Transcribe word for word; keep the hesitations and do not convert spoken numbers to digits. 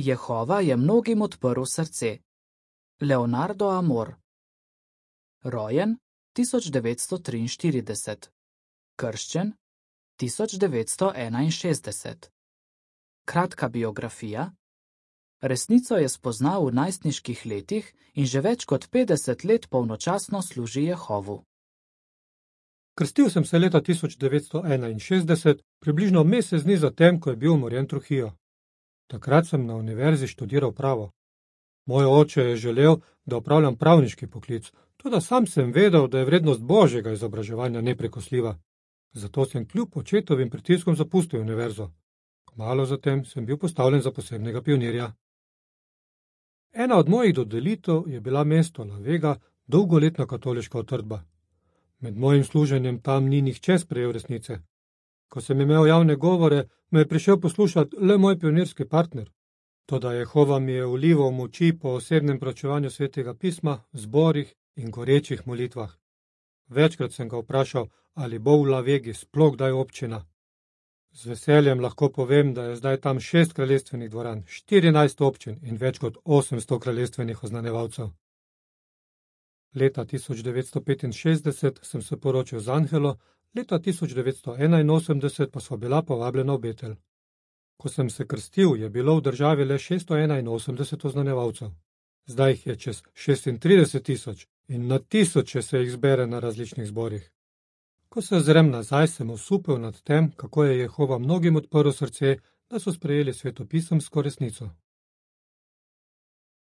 Jehova je mnogim odprl srce. Leonardo Amor. Rojen tisoč devetsto triinštirideset. Krščen tisoč devetsto enainšestdeset. Kratka biografija. Resnico je spoznal v najstniških letih in že več kot petdeset let polnočasno služi Jehovu. Krstil sem se leta tisoč devetsto enainšestdeset, približno mesec dni zatem, ko je bil umorjen Trujillo. Takrat sem na univerzi študiral pravo. Moj oče je želel, da opravljam pravniški poklic, toda sam sem vedel, da je vrednost božjega izobraževanja neprekosljiva. Zato sem kljub očetovim pritiskom zapustil univerzo. Kmalu zatem sem bil postavljen za posebnega pionirja. Ena od mojih dodelitev je bila mesto La Vega, dolgoletna katoliška utrdba. Med mojim služenjem tam ni nihče sprejel resnice. Ko sem imel javne govore, me je prišel poslušati le moj pionirski partner. Toda Jehova mi je vlival moči po osebnem proučevanju svetega pisma, zborih in gorečih molitvah. Večkrat sem ga vprašal, ali bo v La Vegi sploh kdaj občina. Z veseljem lahko povem, da je zdaj tam šest kraljestvenih dvoran, štirinajst občin in več kot osemsto kraljestvenih oznanjevalcev. Leta tisoč devetsto petinšestdeset sem se poročil z Angelo, leta tisoč devetsto enainosemdeset pa sva bila povabljena v Betel. Ko sem se krstil, je bilo v državi le šeststo enainosemdeset oznanjevalcev. Zdaj jih je čez šestintrideset tisoč in na tisoče se jih zbere na različnih zborih. Ko se ozrem nazaj, sem osupel nad tem, kako je Jehova mnogim odprl srce, da so sprejeli svetopisemsko resnico.